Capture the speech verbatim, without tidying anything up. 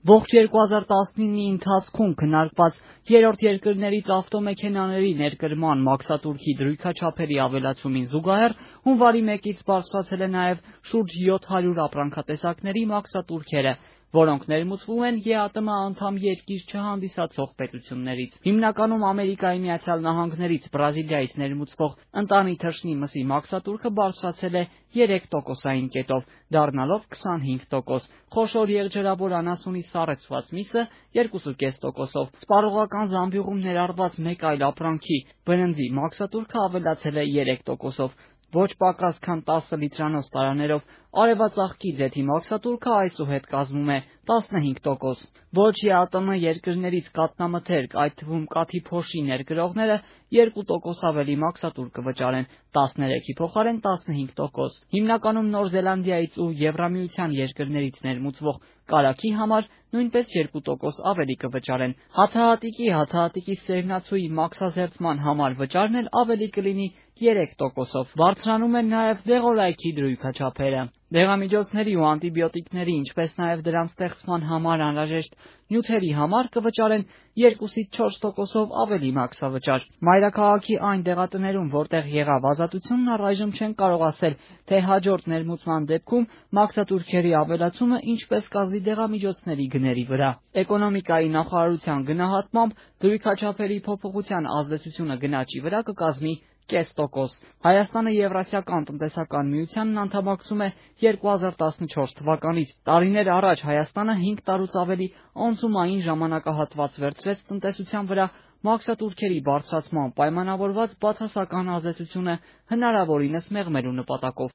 Ողջ երկու հազար տասնինի ընթացքում քննարկված երրորդ երկրներից ավտոմեքենաների ներկրման մաքսատուրքի դրույքաչափերի ավելացումին զուգահեռ հունվարի մեկից բարձրացել է նաև շուրջ յոթ հարյուր ապրանքատեսակների մաքսատուրքերը, որոնք ներմուծվում են ԵԱՏՄ անդամ երկիր չհանդիսացող պետություններից։ Հիմնականում Ամերիկայի Միացյալ Նահանգներից, Բրազիլիայից ներմուծվող ընտանի թռչնի մսի մաքսատուրքը բարձրացել է երեք տոկոսային կետով, դառնալով քսանհինգ տոկոս, խոշոր եղջերավոր անասունի սառեցված միսը երկու կես տոկոսով։ Սպառողական զամբյուղում ներառված մեկ այլ ապրանքի՝ բրնձի մաքսատուրքը ավելացել է երեք տոկոսով։ Ոչ պակաս քան տասը լիտրանոց տարաներով արևածաղկի ձեթի մաքսատուրքը այսուհետ կազմում է տասնհինգ տոկոս։ Ոչ ԵԱՏՄ երկրներից կաթնամթերք, այդ թվում կաթի փոշի ներկրողները երկու տոկոս ավելի մաքսատուր կվճարեն, տասներեքի փոխարեն տասնհինգ տոկոս։ Հիմնականում Նոր Զելանդիայից ու Եվրամիության երկրներից ներմուծվող կարագի համար նույնպես երկու տոկոս ավելի կվճարեն։ Հացահատիկի, հացահատիկի սերմնացուի մաքսազերծման համար վճարն էլ ավելի կլինի երեք տոկոսով։ Բարձրանում են նաև դեղորայքի դրույքաչափերը։ Դեղամիջոցների ու անտիբիոտիկների, ինչպես նաև դրանց ստեղծման համար անհրաժեշտ նյութերի համար կվճարեն երկուսից չորս տոկոսով ավելի մաքսավճար։ Մայրաքաղաքի այն դեղատներում, որտեղ եղավ ազատությունն, առայժմ չեն կարող ասել, թե հաջորդ ներմուծման դեպքում մաքսատուրքերի ավելացումը ինչպես կազդի դեղամիջոցների գների վրա։ Էկոնոմիկայի նախարարության գնահատմամբ դրույքաչափերի փոփոխության ազդեցությունը գնաճի վրա կկազմի կես տոկոս։ Հայաստանը Եվրասիական տնտեսական միությանն անդամակցում է երկու հազար տասնչորս թվականից։ Տարիներ առաջ Հայաստանը հինգ տարուց ավելի անցումային ժամանակահատված վերցրեց տնտեսության վրա մաքսատուրքերի բարձրացման պայմանավորված բացասական ազդեցությունը հնարավորինս մեղմելու նպատակով։